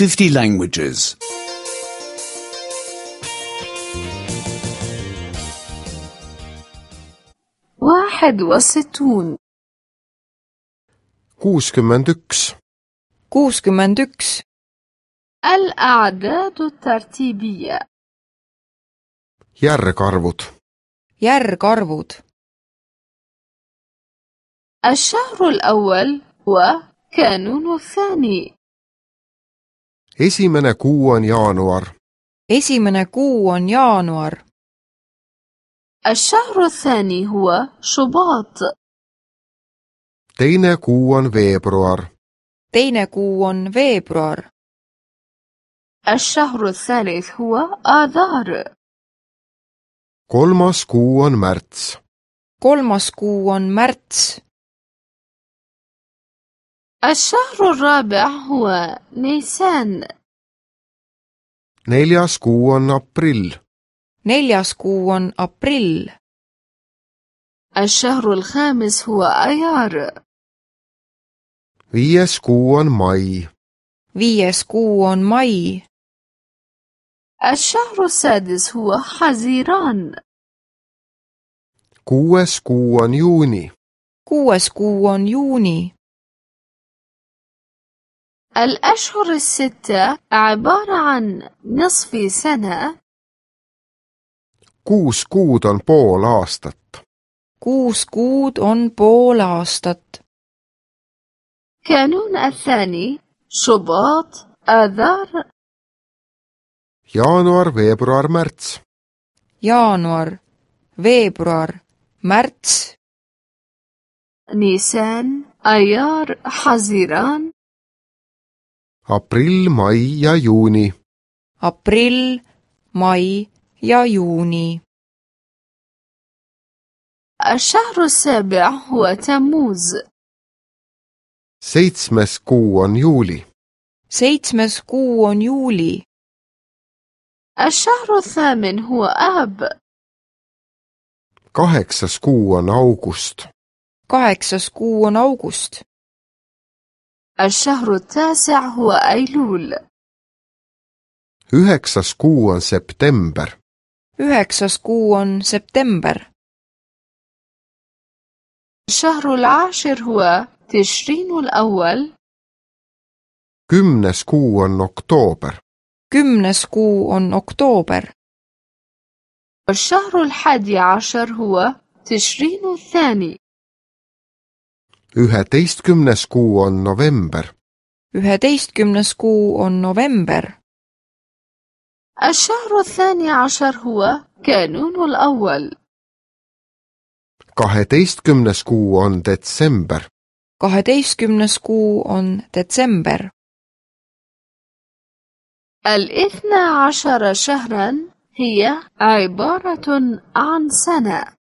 50 languages. 61 61 61 الأعداد الترتيبية järgarvud järgarvud الشهر الأول هو كانون الثاني esimene kuu on jaanuar esimene kuu on jaanuar الشهر الثاني هو شباط teine kuu on veebruar teine kuu on veebruar الشهر الثالث هو آذار kolmas kuu on märts kolmas kuu on märts الشهر الرابع هو نيسان neljas kuu on aprill neljas kuu on aprill الشهر الخامس هو أيار viies kuu on mai viies kuu on mai الشهر السادس هو حزيران kuues kuu on juuni kuues kuu on juuni الأشهر الستة عبارة عن نصف سنة 6 kuud on pool aastat 6 kuud on pool aastat كانون الثاني شباط آذار jaanuar veebruar märts jaanuar veebruar märts نيسان أيار حزيران aprill mai ja juuni aprill mai ja juuni الشهر السابع هو تموز 7. kuu on juuli 7. kuu on juuli الشهر الثامن هو آب 8. kuu on august 8. kuu on august الشهر التاسع هو أيلول 9. kuu on september 9. kuu on september الشهر العاشر هو تشرين الأول 10. kuu on oktoober 10. kuu on oktoober والشهر الحادي عشر هو تشرين الثاني 11. kuu on november 11. kuu on november الشهر الثاني عشر هو كانون الأول 12. kuu on detsember 12. kuu on detsember 12 شهرا هي عبارة عن سنة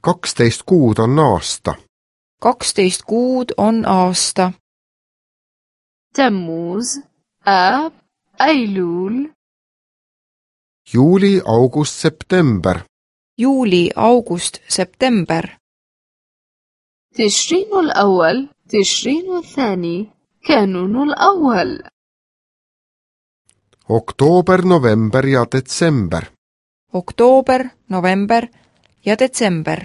12 kuud on aasta 12 kuud on aasta تموز آب أيلول juuli august september juuli august september تشرين الأول تشرين الثاني كانون الأول oktoober november ja detsember oktoober november ja detsember